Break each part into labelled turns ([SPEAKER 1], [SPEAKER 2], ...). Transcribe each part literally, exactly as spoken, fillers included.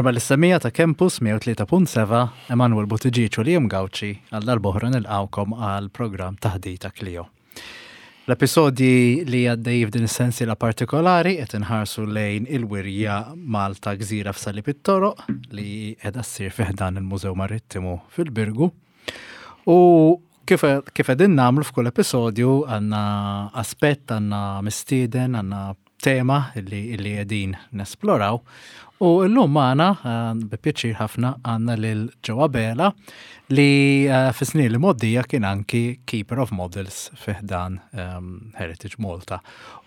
[SPEAKER 1] Merħba lis-semmiegħa ta' Campus mija u tlieta punt sebgħa, Emanuel Buttigieg u Liam Gauci għal darb'oħra nilqgħukom għal programm Taħdita Clio. L-episodji li għaddej f'din is-sensiela partikolari qed inħarsu lejn il-wirja Malta Gżira f'Salib it-Toroq li qiegħda ssir fi ħdan il-Mużew Marittimu fil-Birgu. U kif kif qegħdin nagħmlu f'kull episodju, għandna aspett, għandna mistieden, għandna tema illi illi qegħdin nesploraw. U llum magħna, eh, bi pjaċir ħafna, għandna lil Joe Abela li eh, fis-snin li mgħoddija kien anki Keeper of Models fi ħdan um, Heritage Malta.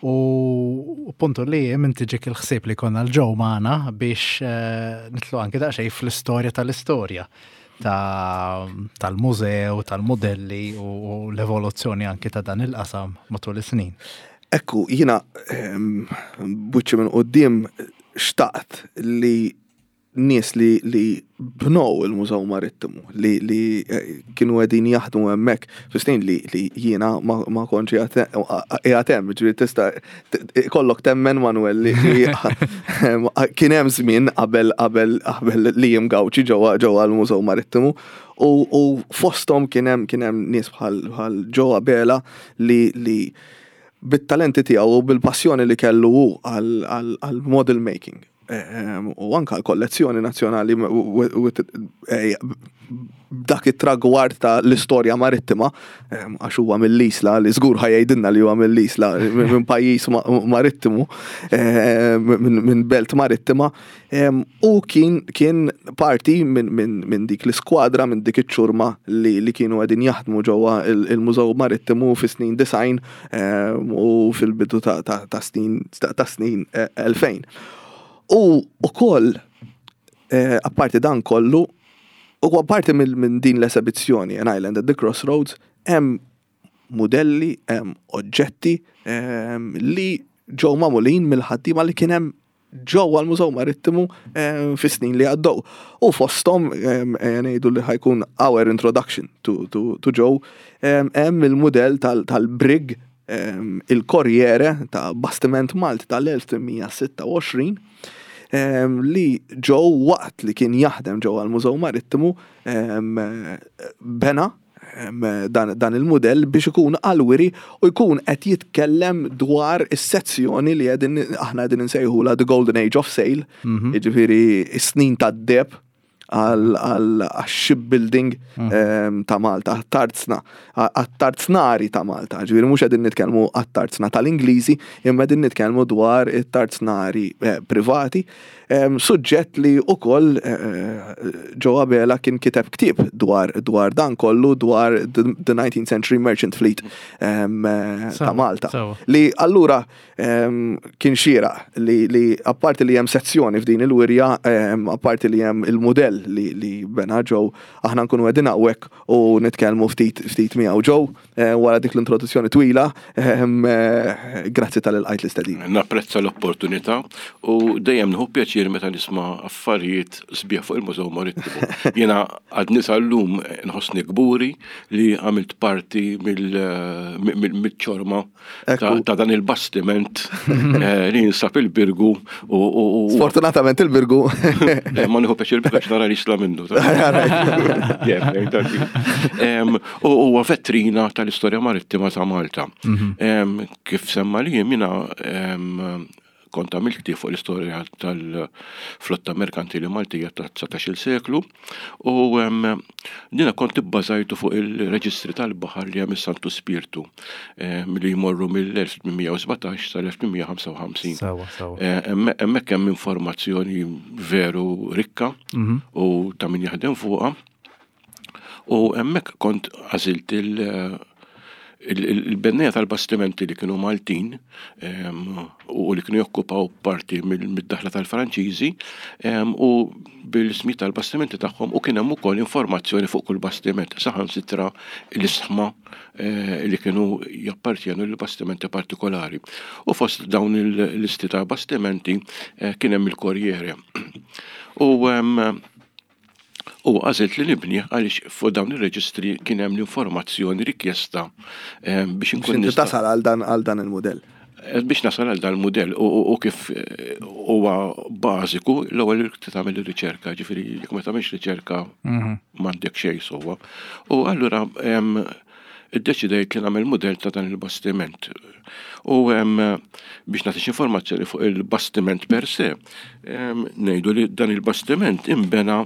[SPEAKER 1] U puntu li minn tiġik il-ħsieb li konna lil Joe magħna biex uh, nidħlu anki daqsxejn fl-istorja tal-istorja ta' tal-mużew, tal-modelli u, u l-evoluzzjoni anki ta' dan il-qasam matul is-snin.
[SPEAKER 2] Ekku, jiena buċċi minn quddiem xtaqt li nies li, li bnow il-Mużew Marittimu, li, li eh, kienu qegħdin jaħdmu hemmhekk, fis-snin li, li jiena ma, ma kontx qiegħed hemm, ġifieri tista' kollok temmen, Manuel, li, li kien hemm żmien qabel qabel qabel li jim Gauci ġewwa ġewwa l-Mużew Marittimu u, u fosthom kien hemm kien hemm nies bħal bħal Joe Abela li li bit-talenti tiegħu u bil-passjoni li kellu hu għal model making Ehm, u anka l-kollezzjoni nazzjonali eh, dak it-tragward ta' l-istorja marittima, ehm, għax huwa mill-Isla, li żgur ħa jgħidilna li huwa mill-Isla, minn pajjiż marittimu, ehm, minn belt marittima, u kien kien parti minn dik l-iskwadra, minn dik iċ-ċurma li, li kienu qegħdin jaħdmu ġewwa il-Mużew Marittimu fi snin disgħin u fil-bidu ta' snin ta' snin elfejn. U ukoll, eh, apparti dan kollu, u apparti minn din l-esibizzjoni, An Island at the Crossroads, hemm modelli, hemm oġġetti li ġew magħmulin mill-ħaddiema li kien hemm ġewwa l-Mużew Marittimu fis-snin li għaddew. U fosthom, ngħidu li ħa jkun our introduction to, to, to Joe, hemm il-mudell tal-brig il-Corriere ta' bastiment Malti tal-elf tmien mija u sitta u għoxrin li Joe, waqt li kien jaħdem ġewwa l-Mużew Marittimu, bena dan, dan il-modell biex ikun għall-wiri u jkun qed jitkellem dwar is-sezzjoni li qegħdin aħna qegħdin insejħula The Golden Age of Sail, mhm. jiġifieri s-snin tad-deheb għal shipbuilding mm. ta' Malta, tarzna, għat-tarznari ta' Malta, ġifieri mhux qegħdin nitkellmu għat-tarzna tal-Ingliżi, imma qegħdin nitkellmu dwar it-tarznari eh, privati, suġġett li ukoll eh, Joe Abela kien kiteb ktieb dwar dwar dan kollu, dwar the nineteenth Century Merchant Fleet eh, ta' Malta. Li allura kien xieraq li, li apparti li hemm sezzjoni f'din il-wirja, apparti li hemm il-modell li, li bena Joe, aħna nkunu qegħdin hawnhekk u nitkellmu ftit ftit miegħu. Joe, eh, wara dik l-introduzzjoni twila, eh, grazzi talli lqajt l-istedina.
[SPEAKER 3] Napprezza l-opportunità u dejjem nieħu pjaċir meta nisma' affarijiet sbieħ fuq il-Mużew Marittimu. Jiena għadni sal-lum nħossni kburi li għamilt parti mill-ċorma ta' dan il-bastiment eh, li jinsab il-Birgu.
[SPEAKER 2] Sfortunatament il-Birgu.
[SPEAKER 3] Ma nieħu pjaċir biex nara l-Isla minnu. U huwa vetrina tal-istorja marittima ta' Malta. Mhm. Kif semma li jiena kont għamilt ktieb fuq l-istorja tal-flotta merkantili Maltija ta' dsatax-il seklu u dina kont ibbażajtu fuq il-reġistri tal-baħar li hemm Santu Spirtu li jmorru mill-elf tmien mija u sbatax sal-elf tmien mija u ħamsa u ħamsin. Hemmhekk hemm informazzjoni veru rikka mhm. u ta' min jaħdem fuqha. U hemmhekk kont għażilt il- il-benneja tal-bastimenti li kienu Maltin u li kienu jokkupaw parti mid-daħla tal-Franċiżi u bil-ismi tal-bastimenti tagħhom, u kien hemm ukoll informazzjoni fuq kull bastiment, saħansitra l-isħma eh, li kienu jappartjenu l-bastimenti partikolari. U fost dawn il-listi ta' bastimenti eh, kien hemm il-Corriere. U U għażilt li nibni għaliex fuq dawn ir-reġistri kien hemm l-informazzjoni rikjesta biex
[SPEAKER 2] inkun nista' tasal għal dan għal dan il-modell.
[SPEAKER 3] Biex nasal għal dal-mudell u kif huwa bażiku, l-ewwel tagħmel ir-riċerka, ġifieri jekk ma tagħmilx riċerka m'għandek xejn sewwa. U allura iddeċidejt li nagħmel mudell ta' dan il-bastiment. U biex nagħti informazzjoni fuq il-bastiment per se, ngħidu li dan il-bastiment imbena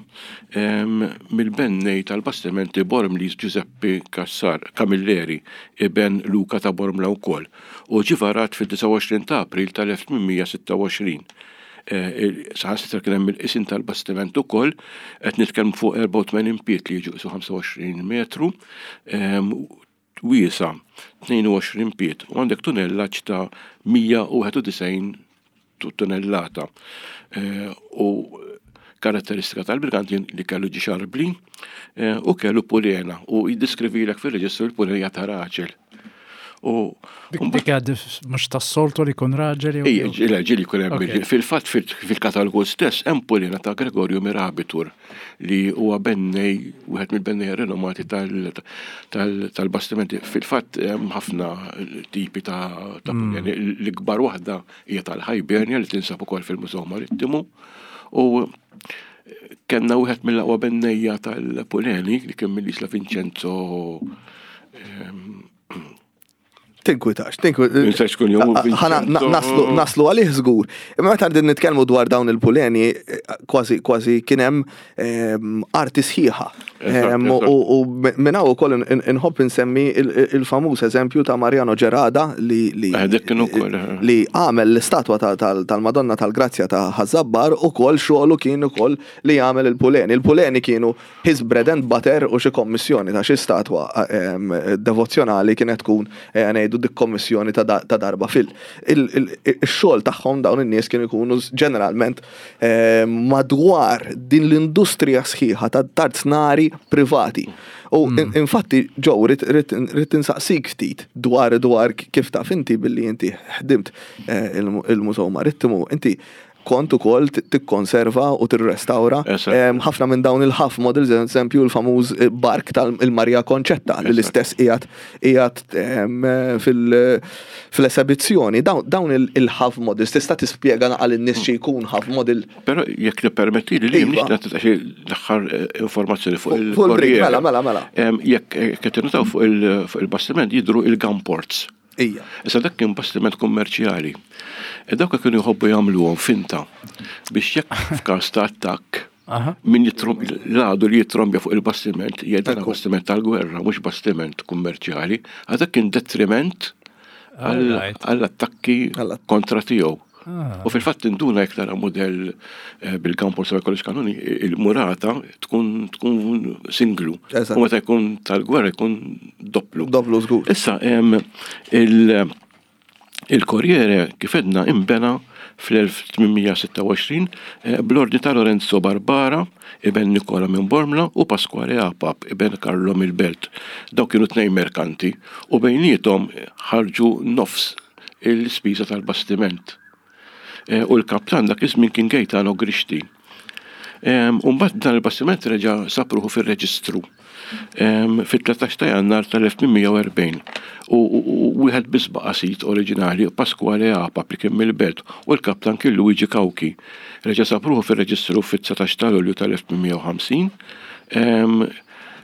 [SPEAKER 3] mill-bennej tal-bastimenti Bormlis Giuseppe Cassar Camilleri, iben Luca ta' Bormla wkoll, u ġie varat fid-disgħa u għoxrin ta' April tal-elf tmien mija sitta u għoxrin. Saħansitra kien hemm il-qisin tal-bastiment ukoll, qed nitkellmu fuq erbgħa u tmenin pied li jiġu qisu ħamsa u għoxrin metru, wiesa tnejn u għoxrin pied, u għandek tunnellaġġ ta' mija u wieħed u disgħin tunnellata. U karatteristika tal-brigantin li kellu ġi xarbli u kellu pulena, u jiddeskrivilek fil-reġistru l-pulena ta' raġel. U
[SPEAKER 1] Dik għad mhux tas-soltu li jkun raġel jew
[SPEAKER 3] Ejja, ġieli, ġieli jkun hemm
[SPEAKER 1] Ok.
[SPEAKER 3] bil-, fil-fatt fil-katalgu stess hemm pulena ta' Gregorio Mirabitur li huwa bennej, wieħed mill-bennej renomati tal-, tal-, tal-bastimenti. Fil-fatt hemm ħafna tipi ta', ta'
[SPEAKER 1] Mm.
[SPEAKER 3] puleni. L-ikbar waħda hija tal-Hibernia li tinsab ukoll fil-Mużew Marittimu. U kellna wieħed mill-aqwa bennejja tal-puleni li kien mill-Isla Vincenzo, ehm,
[SPEAKER 2] Tinkwitax, tinkwitax.
[SPEAKER 3] Ninsax kun jom
[SPEAKER 2] A-, a-, ħana
[SPEAKER 3] Vincenzo.
[SPEAKER 2] na-, naslu, naslu għalih żgur. Imma meta qegħdin nitkellmu dwar dawn il-puleni, kważi, kważi kien hemm, ehm, arti sħiħa.
[SPEAKER 3] Eżatt,
[SPEAKER 2] Ehm,
[SPEAKER 3] eżatt.
[SPEAKER 2] U, u minn hawn ukoll in-, in-, inħobb insemmi il-, il-, il-famuż eżempju ta' Mariano Gerada li, li
[SPEAKER 3] Eh, dik kien ukoll, eh.
[SPEAKER 2] li għamel l-istatwa ta-, tal-, tal-Madonna tal-Grazzja ta' Ħaż-Żabbar, ukoll xogħlu kien ukoll li jagħmel il-puleni. Il-puleni kienu his bread and butter u xi kommissjoni ta' xi statwa, ehm, devozzjonali kienet tkun, eh, ngħidu dik kommissjoni ta' da-, ta' darba fil. Il-, il-, il-xogħol tagħhom dawn in-nies kienu jkunu ġeneralment, eh, madwar din l-industrija sħiħa ta' tarznari privati. U
[SPEAKER 1] Hmm.
[SPEAKER 2] in-, infatti, Joe, rrid, rrid, rrid insaqsik ftit dwar, dwar kif taf inti billi inti ħdimt, eh, il-, il-Mużew Marittimu, inti kont ukoll t-, tikkonserva u tirrestawra,
[SPEAKER 3] Eżatt.
[SPEAKER 2] em, ħafna minn dawn il-half models, eżempju l-famuż, eh, bark tal-Maria Concetta li
[SPEAKER 3] Eżatt.
[SPEAKER 2] l-istess qiegħed, qiegħed, em, fil-, fil-esebizzjoni. Dawn, dawn il-, il-half models, tista' tispjega naqal in-nies xi jkun half model?
[SPEAKER 3] Però jekk tippermetti li
[SPEAKER 2] Iva.
[SPEAKER 3] nixtieq nagħti xi l-aħħar, eh, informazzjoni fuq
[SPEAKER 2] Fuq
[SPEAKER 3] il-
[SPEAKER 2] fuq il-brig,
[SPEAKER 3] Corriere.
[SPEAKER 2] mela, mela, mela.
[SPEAKER 3] Em, jekk, eh, qed tinnotaw fuq il-, fuq il-bastiment jidhru il-gunports.
[SPEAKER 2] Ija.
[SPEAKER 3] Issa dak kien bastiment kummerċjali. E dawk kienu jħobbu jagħmluhom finta biex jekk f'każ ta' attakk
[SPEAKER 1] Aha.
[SPEAKER 3] min jitrom-, l-għadu li jitrombja fuq il-bastiment jgħid dan
[SPEAKER 2] Ekku.
[SPEAKER 3] bastiment tal-gwerra, mhux bastiment kummerċjali, għadak kien detriment għall-
[SPEAKER 1] Alright.
[SPEAKER 3] għall-attakki
[SPEAKER 2] Għall-att-
[SPEAKER 3] kontra tiegħu.
[SPEAKER 1] Ah.
[SPEAKER 3] U fil-fatt induna jekk tara modell, eh, bil-kampor sa jkollix kanuni, il-murata tkun, tkun singlu.
[SPEAKER 2] Eżatt.
[SPEAKER 3] U meta jkun tal-gwerra jkun dopplu.
[SPEAKER 2] Dopplu żgur.
[SPEAKER 3] Issa, em, il-, il-Corriere kif edna imbena fl-elf tmien mija sitta u għoxrin, eh, bl-ordni ta' Lorenzo Barbara, iben Nicola minn Bormla, u Pasquale Apap, iben Carlo mill-Belt. Dawk kienu tnejn merkanti u bejniethom ħarġu nofs il-spiża tal-bastiment. Eh, u l-kaptan dak iż-żmien kien Gaetano Grixti. Em, u mbagħad dan il-bastiment reġa' sapruħu fir-reġistru, em, fit-tlettax ta' Jannar tal-elf tmien mija u erbgħin. U, u, u wieħed biss baqa' sit oriġinali, Pasquale Apap li kien mill-Belt, u l-kaptan kien Luigi Cauchi. Reġa' sapruħu fir-reġistru fit-dsatax ta' Lulju tal-elf tmien mija u ħamsin. Em,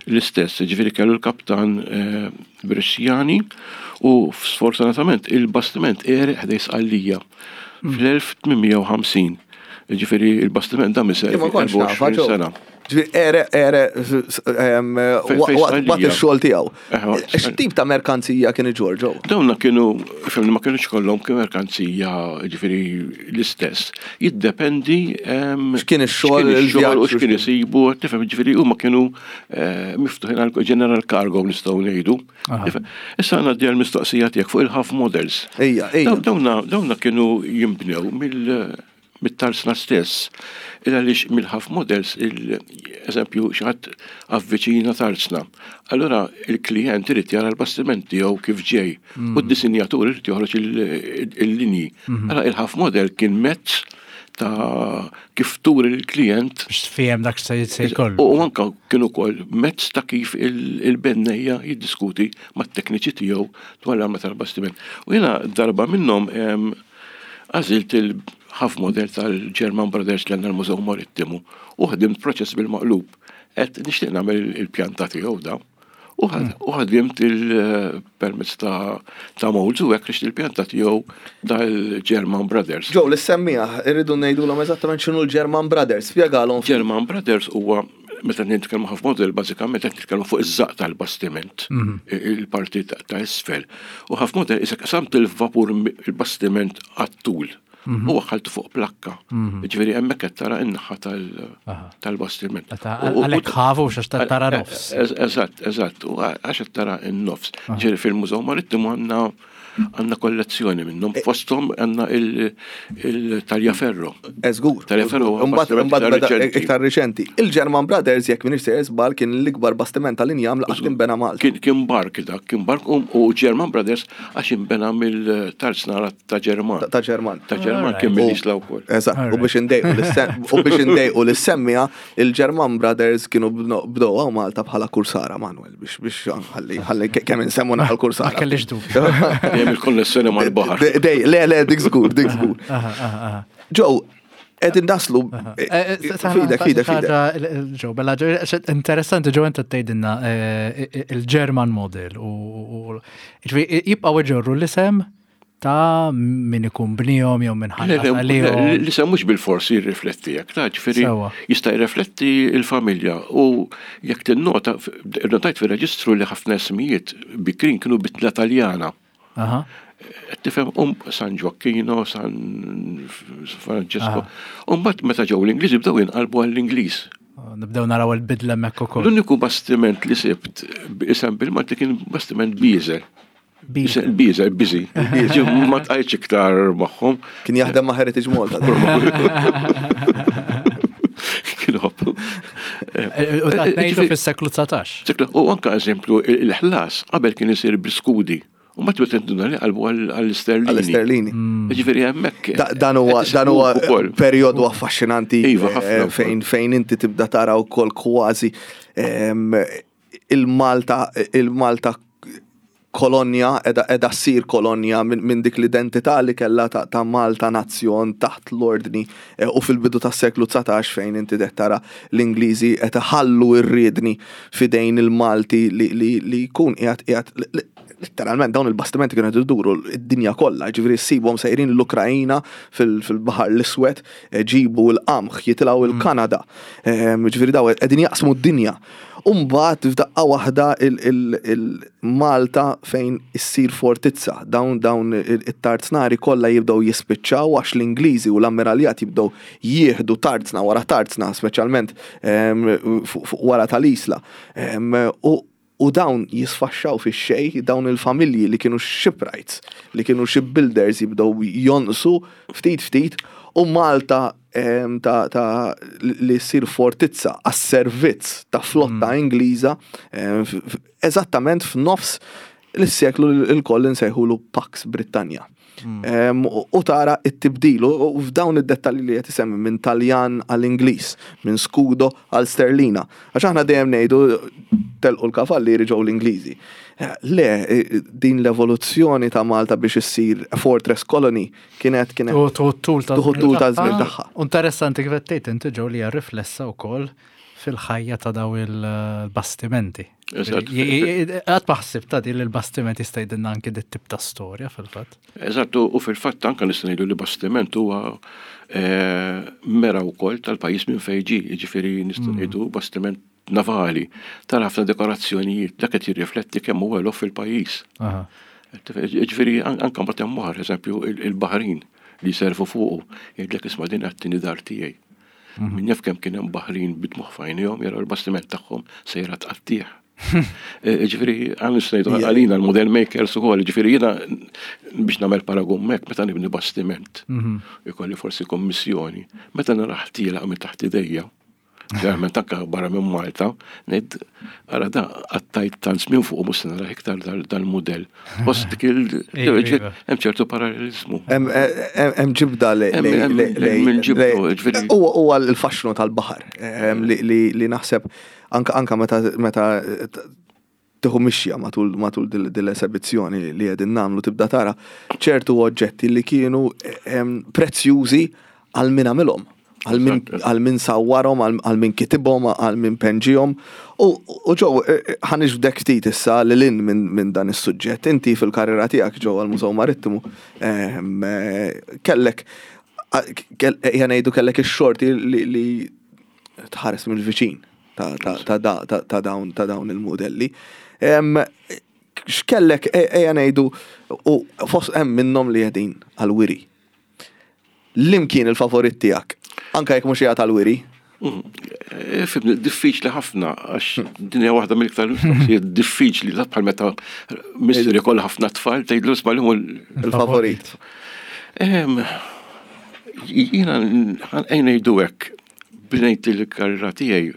[SPEAKER 3] l-istess, ġifieri kellu l-kaptan, eh, Bresciani, u sfortunatament il-bastiment għereq ħdejn Sqallija fl-elf tmien mija u ħamsin. Ġifieri il-bastiment dam iservi
[SPEAKER 2] Imma kontx nafa,
[SPEAKER 3] erbgħa u għoxrin
[SPEAKER 2] Joe.
[SPEAKER 3] sena.
[SPEAKER 2] Ġifieri, ere, ere, s-, s-, em,
[SPEAKER 3] Fej-,
[SPEAKER 2] wa-,
[SPEAKER 3] fej
[SPEAKER 2] wa-,
[SPEAKER 3] Sqallija.
[SPEAKER 2] waqt ix-xogħol tiegħu.
[SPEAKER 3] Eh, waqt
[SPEAKER 2] X-, X'tip ta' merkanzija kien iġorr, Joe?
[SPEAKER 3] Dawna kienu, fimni, ma kienux kollhom kien merkanzija, ġifieri l-istess. Jiddependi, em,
[SPEAKER 2] X'kien ix-xogħol,
[SPEAKER 3] x'kien ix-xogħol u
[SPEAKER 2] il-vjaġġ u
[SPEAKER 3] x'kien
[SPEAKER 2] x'kien.
[SPEAKER 3] isibu, tifhem, ġifieri huma kienu, eh, miftuħin għal general cargo nistgħu ngħidu.
[SPEAKER 1] Aha.
[SPEAKER 3] Tifhem? Issa għandna di l-mistoqsija tiegħek fuq il-half models.
[SPEAKER 2] Ejja, ejja.
[SPEAKER 3] Daw-, dawna, dawna kienu jinbnew mill-, mit-tarsna stess. Il għaliex mill-half models, il-eżempju, xi ħadd avviċina tarsna. Allora il-klient irid jara l-bastiment tiegħu kif ġej
[SPEAKER 1] Mm.
[SPEAKER 3] u d-disinjatur irid joħroġ il-, il-linji.
[SPEAKER 1] Mm-hmm.
[SPEAKER 3] Allora il-half model kien mezz ta' kif turi l-klient.
[SPEAKER 1] Biex tfiehem dak se jkollu.
[SPEAKER 3] U anka kienu ukoll mezz ta' kif il-bennejja jiddiskuti mat-tekniċi tiegħu dwar l-arma tal-bastiment. U jiena darba minnhom għażilt il-half model tal-German Brothers li għandna l-Mużew Marittimu u ħdimt proċess bil-maqlub. Qed nixtieq nagħmel il-pjanta tiegħu da. U ħadimt il-permezz ta' molds u hekk il-pjanta tiegħu tal-German Brothers.
[SPEAKER 2] Joe, l-semmija, irridu ngħidulhom eżattament x'inhu l-German Brothers, spjegalhom.
[SPEAKER 3] German Brothers huwa meta nitkellmu half model, bażikament qed nitkellmu fuq iż-żaq tal-bastiment, il-parti ta' isfel. U half model isek qasamt il-vapur il-bastiment għat-tul. U għaltu fuq plakka. Ġifieri hemmhekk qed tara n-naħa tal-bastiment.
[SPEAKER 1] Għalhekk ħafu xax tara nofs.
[SPEAKER 3] Eżatt, eżatt, u għax tara n-nofs. Ġifieri fil-Mużew Marittimu għandna għandna kollezzjoni minnhom, fosthom għandna il-Tagliaferro.
[SPEAKER 2] Eżgur.
[SPEAKER 3] Tagliaferro
[SPEAKER 2] iktar riċenti. Il-German Brothers, jekk m'iniex sejjer żball, kien l-ikbar bastiment tal-injam li qatt inbena Malta.
[SPEAKER 3] Kien bark dak, kien bark u German Brothers għax inbena mill-tarznara ta' Ġerman.
[SPEAKER 2] Ta' Ġerman.
[SPEAKER 3] Ta' Ġerman kien mill-Isla wkoll.
[SPEAKER 2] Eżatt, u biex indejqu u biex indejqu l-semmija, il-German Brothers kienu bdew Malta bħala kursara, Manuel, biex biex ħalli ħalli kemm insemmu naħal kursara.
[SPEAKER 1] Ma kellix dubju.
[SPEAKER 3] Il-konnessjoni mal-baħar.
[SPEAKER 2] Dej, le, le, dik żgur, dik żgur. Joe, qegħdin naslu. Fidek, fidek, fidek.
[SPEAKER 1] Joe, bella, interessanti, Joe, inta tgħidilna il-German model u jibqgħu iġorru l-isem ta' min ikun bnihom jew minn ħallas għalihom.
[SPEAKER 3] L-isem mhux bil-forsi jirrifletti jekk ta' ġifieri jista' jirrifletti l-familja u jekk tinnota, notajt fir-reġistru li ħafna ismijiet bikrin kienu bitla Taljana. Tifhem um San Gioacchino, San Francesco. U mbagħad meta ġew l-Ingliżi bdew jinqalbu għall-Ingliż.
[SPEAKER 1] Nibdew naraw il-bidla hemmhekk ukoll.
[SPEAKER 3] L-uniku bastiment li sibt isem bil-Malti kien bastiment Bieżel. Bieżel, biżi. Ma tqajtx iktar magħhom.
[SPEAKER 2] Kien jaħdem ma' Heritage Malta.
[SPEAKER 3] Kien hop.
[SPEAKER 1] U dak ngħidu fis-seklu dsatax.
[SPEAKER 3] U anka eżempju il-ħlas qabel kien isir bl-iskudi. U ma tbet tinduna li qalbu għall-isterlini.
[SPEAKER 2] Għall-isterlini.
[SPEAKER 3] Ġifieri hemmhekk.
[SPEAKER 2] Dan huwa dan huwa perjodu affaxxinanti
[SPEAKER 3] Iva, ħafna
[SPEAKER 2] fejn fejn inti tibda tara wkoll kważi il-Malta il-Malta kolonja edha edha ssir kolonja minn dik l-identità li kellha ta' Malta nazzjon taħt l-ordni u fil-bidu tas-seklu dsatax fejn inti qed tara l-Ingliżi qed iħallu r-riedni f'idejn il-Malti li li jkun qiegħed qiegħed letteralment dawn il-bastimenti kienu qed iduru d-dinja kollha, ġifieri ssibhom sejrin l-Ukrajina fil-Baħar l-Iswed, ġibu l-qamħ, jitilgħu il-Kanada. Ġifieri daw qegħdin jaqsmu d-dinja. U mbagħad f'daqqa waħda il-Malta fejn issir fortizza, dawn dawn it-tarznari kollha jibdew jispiċċaw għax l-Ingliżi u l-ammiraljat jibdew jieħdu tarzna wara tarzna, speċjalment fuq wara tal-Isla. U dawn jisfaxxaw fix-xejn, dawn il-familji li kienu shipwrights, li kienu shipbuilders jibdew jonqsu ftit ftit, u Malta ta' ta' li ssir fortizza għas-servizz ta' flotta Ingliża eżattament f'nofs l-seklu l-koll insejħulu Pax Britannia. U tara it-tibdil u f'dawn id-dettalji li qed isemmi minn Taljan għall-Ingliż, minn Scudo għal Sterlina. Għax aħna dejjem ngħidu telqu l-kavallieri ġew l-Ingliżi. Le, din l-evoluzzjoni ta' Malta biex issir fortress colony kienet kienet
[SPEAKER 1] tul ta'
[SPEAKER 2] tul ta' żmien tagħha.
[SPEAKER 1] Interessanti kif qed tgħid inti ġew li hija riflessa wkoll fil-ħajja ta' daw il-bastimenti. Qatt ma ħsibt ta' din il-bastiment jista' jgħidilna anke dit tip ta' storja fil-fatt.
[SPEAKER 3] Eżatt, u fil-fatt anke nista' ngħidu li bastiment huwa mera wkoll tal-pajjiż minn fejn ġie, jiġifieri nistgħu ngħidu bastiment navali, tara ħafna dekorazzjonijiet, dak qed jirrifletti kemm huwa l fil-pajjiż. Ġifieri anke mbagħad hemm oħra, eżempju il-Baħrin li jservu fuqu, jgħidlek isma' din qed dar tiegħi. Min jaf kemm kien hemm Baħrin bidmuħ f'għajnejhom jaraw il-bastiment tagħhom sejra tqattih. Ġifieri għan ngħidu għalina l-model makers ukoll, ġifieri jiena biex nagħmel paragun hekk meta nibni bastiment. Ikolli forsi kommissjoni, meta naraħ tielaq minn taħt idejja. Ġeneralment anke barra minn Malta, ngħid ara da għattajt tant żmien fuq mhux se nara iktar dal-mudell. Post dik il hemm ċertu parallelizmu.
[SPEAKER 2] Hemm ġibda li huwa l-faxxnu tal-baħar li naħseb anka meta tieħu mixja matul matul dil-esebizzjoni li qegħdin nagħmlu tibda tara ċertu oġġetti li kienu prezzjużi għal min għamilhom, għal min sawwarhom, għal min kitibhom, għal min penġihom. U ġew ħa niġbdek ftit issa lil hinn minn dan is-suġġett. Inti fil-karriera tiegħek ġew għall-Mużew Marittimu kellek ejja ngħidu kellek ix-xorti li tħares mill-viċin ta' dawn ta' dawn il-modelli. X'kellek ejja ngħidu u fost hemm minnhom li qegħdin għal-wiri. Liem kien il-favorit tiegħek? Anka jekk mhux qiegħed għal-wiri.
[SPEAKER 3] Fhimni, diffiċli ħafna, għax din hija waħda mill-iktar mistoqsijiet diffiċli, la bħal meta missier ikoll ħafna tfal tgħidlu isma' li
[SPEAKER 2] il-favorit.
[SPEAKER 3] Jiena ejja ngħidu hekk, bnejt il-karriera tiegħi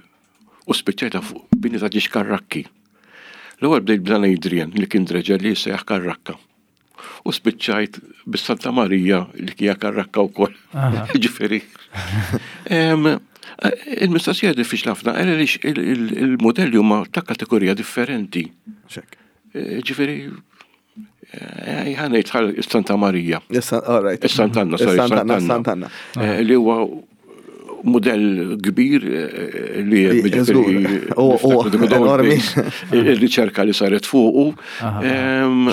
[SPEAKER 3] u spiċċajta fuq bini ta' ġiex karrakki. L-ewwel bdejt b'dan Adrian li kien dredger li jissejjaħ karrakka. U spiċċajt bis-Santa Marija li kija karrakka wkoll. Ġifieri. Il-mistoqsija diffiċli ħafna għaliex il-modelli huma ta' kategorija differenti. Ġifieri, ħa ngħid Santa Marija. Sant'Anna, sorry, Sant'Anna. Li huwa modell kbir li
[SPEAKER 2] enormi.
[SPEAKER 3] Il-riċerka li saret fuqu.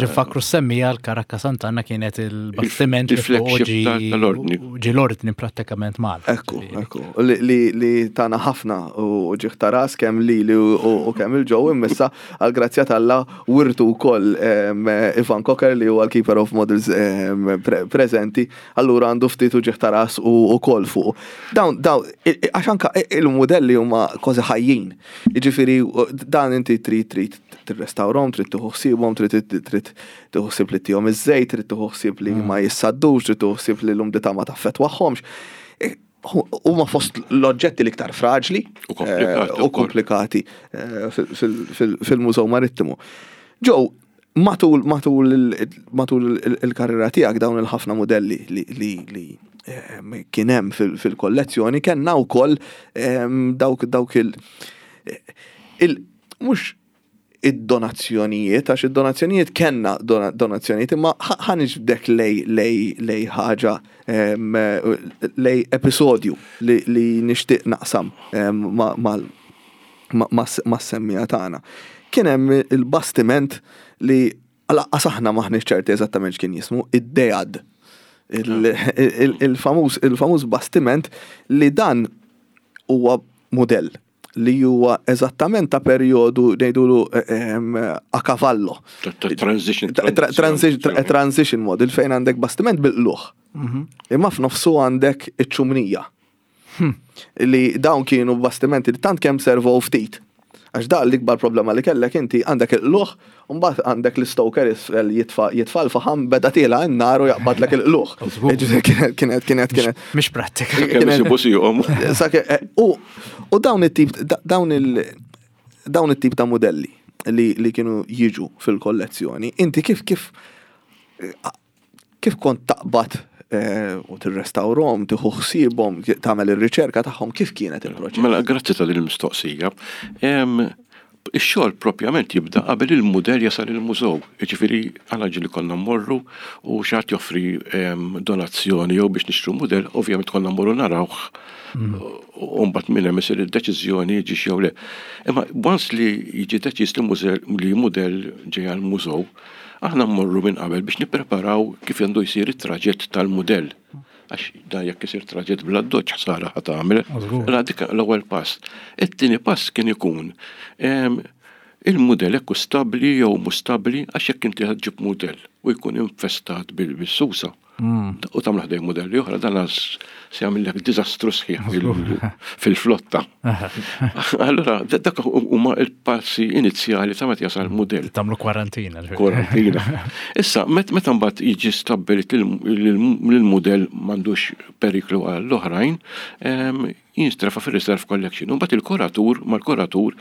[SPEAKER 1] Ġifakru semmija l-Karakka Sant'Anna kienet il-bastiment li
[SPEAKER 3] Il-flagship tal-ordni.
[SPEAKER 1] Ġi l-ordni prattikament Malta.
[SPEAKER 2] Ekku, ekku. Li tana ħafna u uġigħ ta' ras kemm li li u kemm il-ġew immissa għal-grazzja t'Alla wirtu wkoll Ivan Cocker li huwa l-Keeper of Models preżenti, allura għandu ftit uġigħ ta' ras u wkoll fuq. Dawn, dawn, għax anka il-modelli huma kważi ħajjin. Jiġifieri dan inti trid trid tirrestawrhom, trid tieħu ħsiebhom, trid trid tieħu ħsieb li tihom iż-żejt, trid tieħu ħsieb li ma jissaddux, trid tieħu ħsieb li l-umdità ma taffettwahomx. Huma fost l-oġġetti l-iktar fraġli
[SPEAKER 3] U komplikati
[SPEAKER 2] u komplikati fil-Mużew Marittimu. Ġew, matul matul matul il-karriera tiegħek dawn il-ħafna modelli li li kien hemm fil-kollezzjoni kellna wkoll dawk dawk il il mhux id-donazzjonijiet, għax id-donazzjonijiet kellna donazzjonijiet, imma ħa niġbdek lej lej lej ħaġa lej episodju li li nixtieq naqsam mas-semmija tagħna. Kien hemm il-bastiment li lanqas aħna maħniex ċerti eżattament x'kien jismu, id-Dejad. Il-famuż il-famuż bastiment li dan huwa modell li huwa eżattament ta' perjodu ngħidulu a cavallo.
[SPEAKER 3] Transition.
[SPEAKER 2] Transition model fejn għandek bastiment bil-qluħ. Imma f'nofsu għandek iċ-ċumnija. Li dawn kienu bastimenti li tant kemm servow ftit. Għax da l-ikbar problema li kellek inti għandek il-qluħ, u mbagħad għandek l-stoker isfel jitfa' jitfa' l-faħam beda tiela' n-nar u jaqbadlek il-qluħ. Ġifieri kienet kienet kienet kienet.
[SPEAKER 1] Mhix prattika.
[SPEAKER 3] Kemm isibu sihom.
[SPEAKER 2] U u dawn it-tip dawn il dawn it-tip ta' modelli li li kienu jiġu fil-kollezzjoni, inti kif kif kif kont taqbad u tirrestawrhom, tieħu ħsiebhom, tagħmel ir-riċerka tagħhom, kif kienet il-proċess?
[SPEAKER 3] Mela, grazzi ta' din il-mistoqsija. Ix-xogħol propjament jibda qabel il-mudell jasal il-mużew. Jiġifieri aħna ġieli konna mmorru u xi ħadd joffri donazzjoni jew biex nixtru mudell, ovvjament konna mmorru narawh. U mbagħad minn hemm isir id-deċiżjoni jiġix jew le. Imma once li jiġi deċiż li li mudell ġej għall-mużew, aħna mmorru minn qabel biex nippreparaw kif għandu jsir it-traġett tal-mudell. Għax da jekk isir traġett bla doċ ħsara ħa tagħmel. Mela dik l-ewwel pass. It-tieni pass kien ikun il-mudell hekk stabbli jew mhux stabbli għax jekk inti ġib mudell u jkun infestat bil-susa. U tagħmel ħdej modelli oħra dan se jagħmellek diżastru sħiħ fil-flotta. Allura dak huma l-passi inizjali ta' meta jasal mudell.
[SPEAKER 1] Tagħmlu kwarantina.
[SPEAKER 3] Kwarantina. Issa meta mbagħad jiġi stabbilit li l-mudell m'għandux periklu għall-oħrajn, Jinstrefa fil-Reserve Collection. U mbagħad il-kuratur mal-kuratur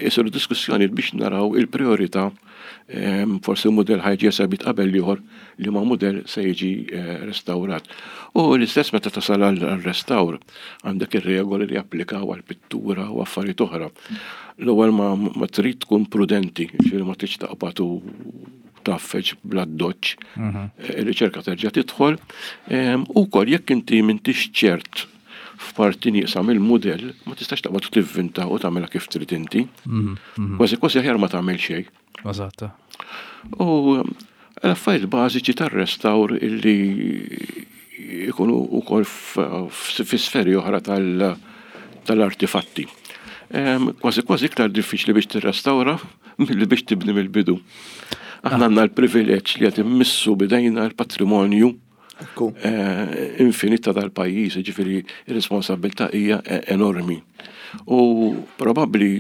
[SPEAKER 3] isiru diskussjoni biex naraw il-priorità, forsi mudell ħa jiġi esebit qabel ieħor, li ma mudell se jiġi eh, restaurat. U l-istess meta tasal għal-restawr, għandek ir-regoli li applikaw għal-pittura u affarijiet oħra. L-ewwel ma, ma trid tkun prudenti, ġifieri ma tridx taqbad u taffeġ bla doċ. Mhm. Il-riċerka terġa' tidħol u wkoll jekk inti m'intix ċert f'parti nieqsa mill-mudell, ma tistax taqbad tivvinta u tagħmilha kif trid inti. Mhm, mhm. Kważi kważi aħjar ma tagħmel xejn.
[SPEAKER 1] Eżatt.
[SPEAKER 3] U l-affarijiet bażiċi tar-restawr illi ikunu wkoll fi sferi oħra tal-artifatti. Kważi kważi iktar diffiċli biex tirrestawra milli biex tibni mill-bidu. Aħna għandna l-privileġġ li qed immissu bidejna l-patrimonju eh, infinita tal-pajjiż, ġifieri ir-responsabilità hija enormi. U probabbli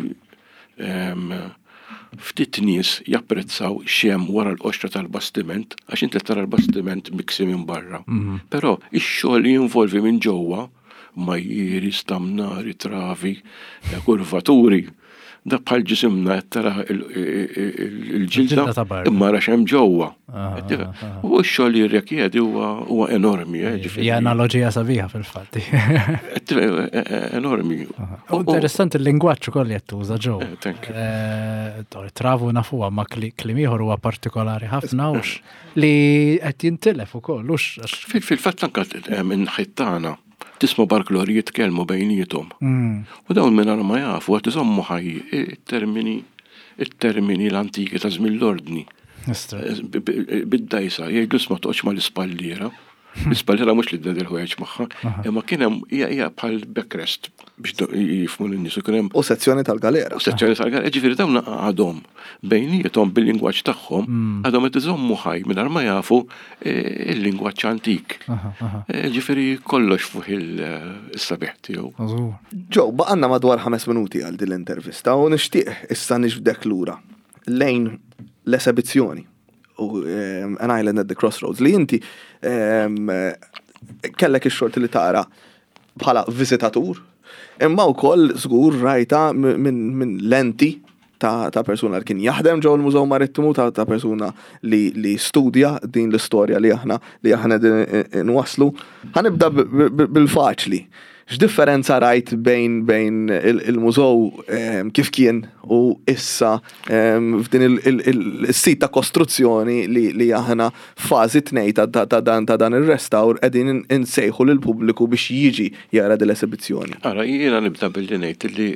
[SPEAKER 3] ftit nies japprezzaw x'hemm wara l-qoxra tal-bastiment, għax inti tara l-bastiment miksi minn barra. Mhm. Però ix-xogħol li jinvolvi minn ġewwa, majjieri, stamnari, travi, kurvaturi, da bħal ġisimna qed tara il-ġilda imma ra x'hemm ġewwa. Ah, ah, ah. U x-xogħol li jirrikjedi huwa enormi. Eh,
[SPEAKER 1] hija analoġija sabiħa fil-fatt.
[SPEAKER 3] Eh, eh, enormi.
[SPEAKER 1] U interessanti il-lingwaġġ ukoll li qed tuża ġew. Travu nafuha, ma kliem ieħor huwa partikolari ħafna hux li qed jintilef ukoll hux.
[SPEAKER 3] Fil-fatt anke minn ħittana tisma' barklori jitkellmu bejniethom. Mm. U dawn minn ma jafu għat iżommu ħaj it-termini it-termini l-antiki ta' żmien l-ordni. Bid-dajsa, jgħidu ma toqgħodx mal-ispalliera. L-ispalliera mhux li d-dedel ħwejjeġ magħha, imma kien hemm hija bħal backrest biex jifhmu lin-nies kien hemm.
[SPEAKER 2] U sezzjoni tal-galera.
[SPEAKER 3] U sezzjoni tal-galera, ġifieri dawn għadhom bejniethom bil-lingwaġġ tagħhom mm. għadhom qed iżommu ħaj mingħajr ma jafu eh, il-lingwaġġ antik. Eh, ġifieri kollox fuq il-sabiħ tiegħu.
[SPEAKER 2] Ġew, baqanna madwar ħames minuti għal din l-intervista u nixtieq issa nixbdek lura lejn l-esebizzjoni u An Island at the Crossroads li inti kellek ix-xorti li tara bħala viżitatur, imma wkoll żgur rajta minn lenti ta', ta persuna li kien jaħdem ġew il-Mużew Marittimu, ta', ta persuna li, li studja din l-istorja li aħna li aħna nwaslu. Ħa nibda bil-faċli. X'differenza rajt bejn bejn il-mużew kif kien u issa f'din il-sit ta' kostruzzjoni li, li aħna fażi tnejn ta', ta, dan ta' dan ir-restawr qegħdin insejħu lill-pubbliku biex jiġi jara din l-esibizzjoni?
[SPEAKER 3] Ara, jiena nibda billi ngħid li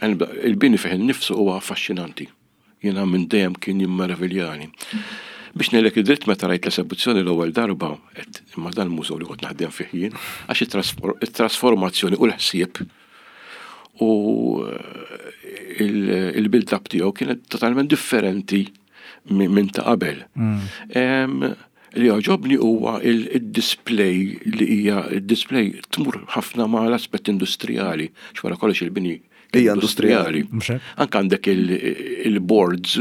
[SPEAKER 3] il-bini fih innifsu huwa affaxxinanti. Jiena minn dejjem kien jimmeraviljani. Biex ngħidlek id-dritt, meta rajt l-esebizzjoni l-ewwel darba, imma dan mużew li kont naħdem fih jien, għax it-trasformazzjoni u l-ħsieb u eh, il-build-up tiegħu kienet totalment differenti minn ta' qabel. Mm. Li għoġobni huwa il-display li hija il-display tmur ħafna ma' l-aspett industrijali, x'wara kollox il-bini
[SPEAKER 2] hija industrijali.
[SPEAKER 3] Anke għandek il-boards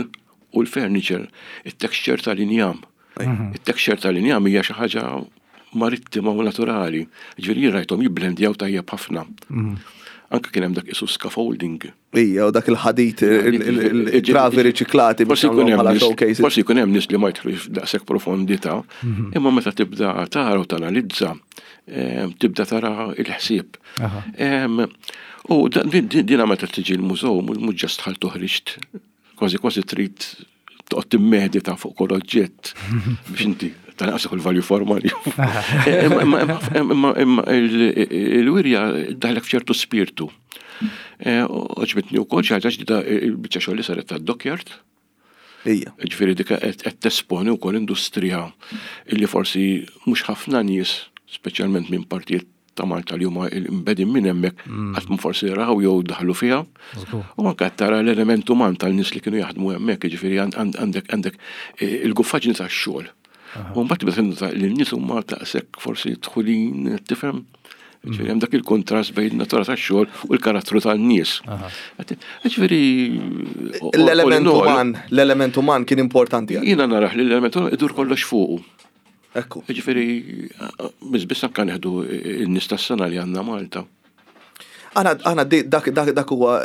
[SPEAKER 3] u l-furniture, il-texture tal-injam. Mhm. Il-texture tal-injam hija xi ħaġa marittima u naturali. Ġifieri rajthom jibblendjaw tajjeb ħafna. Mhm. Anke kien hemm dak isu scaffolding.
[SPEAKER 2] Ija, u dak il-ħadid, il-travi riċiklati
[SPEAKER 3] biex bħala showcases. Forsi jkun hemm nies li ma jidħlux daqshekk profondità, mhm. imma meta tibda tara u tanalizza, tibda tara il-ħsieb. U dina meta tiġi l-mużew, mhux just dħalt u ħriġt, kważi kważi trid toqgħod timmedita fuq kull oġġett biex inti tanqas il-value for money. Imma il-wirja daħlek f'ċertu spirtu. Eh, għoġbitni wkoll xi ħaġa ġdida, il-biċċa xogħol li saret tad-dockyard.
[SPEAKER 2] Ija.
[SPEAKER 3] Ġifieri dik qed tesponi wkoll industrija illi forsi mhux ħafna nies, speċjalment minn partijiet ta' Malta li huma imbegħdin minn hemmhekk, mm. qatt ma forsi raw jew daħlu fiha. U anke qed tara l-element uman tal-nies li kienu jaħdmu hemmhekk, jiġifieri għandek għandek eh, il-guffaġni tax-xogħol. U mbagħad tibda tinnota li n-nies huma daqshekk forsi dħulin, tifhem? Ġifieri hemm dak il-kontrast bejn natura tax-xogħol u l-karattru tan-nies. Ġifieri
[SPEAKER 2] L-element uman, l-element uman kien importanti.
[SPEAKER 3] Jiena naraħ li l-element uman idur kollox fuqu.
[SPEAKER 2] Ekku.
[SPEAKER 3] Ġifieri, biss biss anke neħdu n-nies tas-sena li għandna Malta.
[SPEAKER 2] Aħna dak dak huwa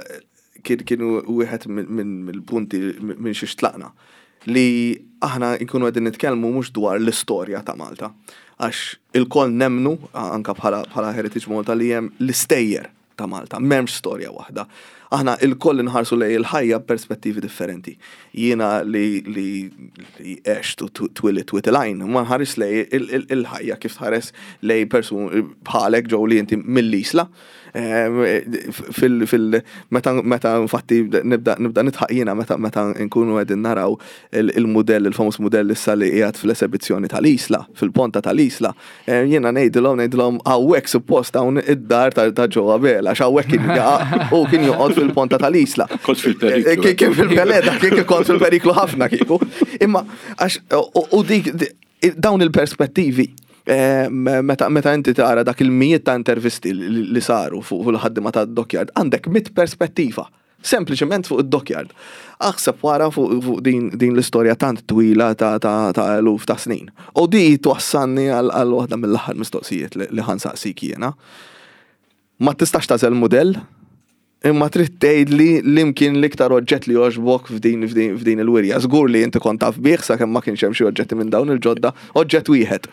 [SPEAKER 2] kien wieħed mill-punti minn xiex tlaqna li aħna nkunu qegħdin nitkellmu mhux dwar l-istorja ta' Malta. Għax ilkoll nemnu anka bħala Heritage Malta li hemm l-istejjer ta' Malta, m'hemmx storja waħda. Aħna ilkoll inħarsu lejn il-ħajja b'perspettivi differenti. Jiena li li għext u twilidt Wied il-Għajn, ma nħares lejn il-ħajja kif tħares lejn persun bħalek ġew li inti mill-Isla. Fil meta infatti nibda nibda nidħaq jiena meta meta nkunu qegħdin naraw il-mudell, il-famuż mudell issa li qiegħed fl-esebizzjoni tal-Isla, fil-ponta tal-Isla. Jiena ngħidilhom ngħidilhom hawnhekk suppost hawn id-dar ta' Joe Abela, għax hawnhekk kien u kien joqgħod fil-ponta tal-Isla.
[SPEAKER 3] Kont fil-periklu.
[SPEAKER 2] Kien fil-peleda, kien kont fil-periklu ħafna kieku. Imma għax u dik dawn il-perspettivi meta meta inti tara dak il-mijiet ta' intervisti li saru fuq il-ħaddiema tad-dockyard, għandek mit perspettiva, sempliċement fuq id-dockyard. Aħseb wara fuq din din l-istorja tant twila ta' ta' eluf ta' snin. U di twassalni għal waħda mill-aħħar mistoqsijiet li ħansaqsik jiena. Ma tistax tagħżel mudell, imma trid tgħidli li mkien l-iktar oġġett li jogħġbok f'din f'din il-wirja. Żgur li inti kont taf bih sakemm ma kienx hemm xi oġġetti minn dawn il-ġodda, oġġett wieħed.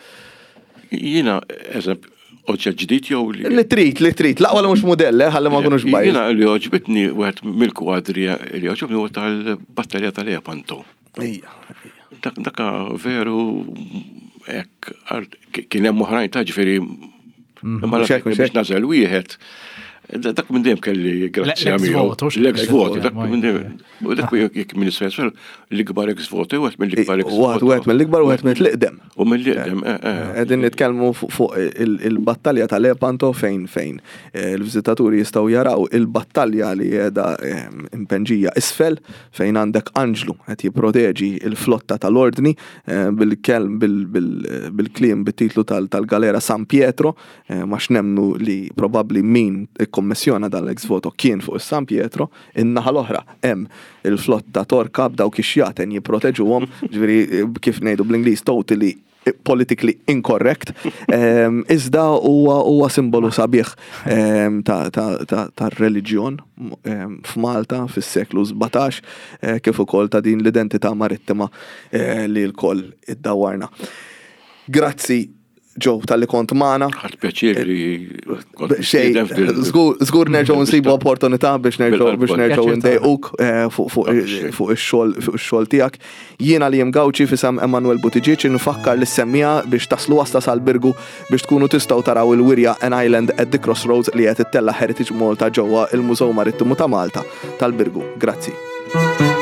[SPEAKER 3] Jiena, eżempju, oġġett ġdid jew li.
[SPEAKER 2] Li trid, li trid, l-aqwa li mhux mudell, ħalli ma nkunux biased.
[SPEAKER 3] Jiena li għoġbitni wieħed mill-kwadri li għoġobni huwa tal-battalja tal-Lepanto.
[SPEAKER 2] Ija, ija.
[SPEAKER 3] Dak dak veru hekk kien hemm oħrajn ta' ġifieri imma biex nażel wieħed. Dak minn dejjem kelli grazzja miegħu. L-ex voto, dak minn dejjem. U dak jekk minn Israel, l-ikbar ex voto, wieħed mill-ikbar ex voto.
[SPEAKER 2] Wieħed mill-ikbar u wieħed mill-iqdem.
[SPEAKER 3] U mill-iqdem, eh, eh.
[SPEAKER 2] Qegħdin nitkellmu fuq il-battalja ta' Lepanto fejn fejn il-viżitaturi jistgħu jaraw il-battalja li qiegħda impenġija isfel fejn għandek Anġlu qed jipproteġi il-flotta tal-Ordni bil-kelm bil-kliem bit-titlu tal-galera San Pietro, ma x'nemnu li probabbli min ikkommissjona dal-ex voto kien fuq is-San Pietro, in-naħa l-oħra hemm il-flotta Torka b'dawk ix-xjaten jipproteġuhom, ġifieri kif ngħidu bl-Ingliż totally politically incorrect, iżda huwa huwa simbolu sabiħ tar-reliġjon f'Malta fis-seklu sbatax, kif ukoll ta' din l-identità marittima li lkoll iddawwarna. Grazzi Joe tal-li kont magħna.
[SPEAKER 3] Ħadt pjaċir li kont
[SPEAKER 2] Xejn, żgur nerġgħu nsibu opportunità biex nerġgħu biex nerġgħu ndejquk fuq fuq ix-xogħol fuq ix-xogħol tiegħek. Jiena li Gauci f'isem Emanuel Buttigieg nfakkar lis semmija biex taslu wasta sal-Birgu biex tkunu tistgħu taraw il-wirja An Island at the Crossroads li qed ittella' Heritage Malta ġewwa il-Mużew Marittimu ta' Malta tal-Birgu. Grazzi. Thank you.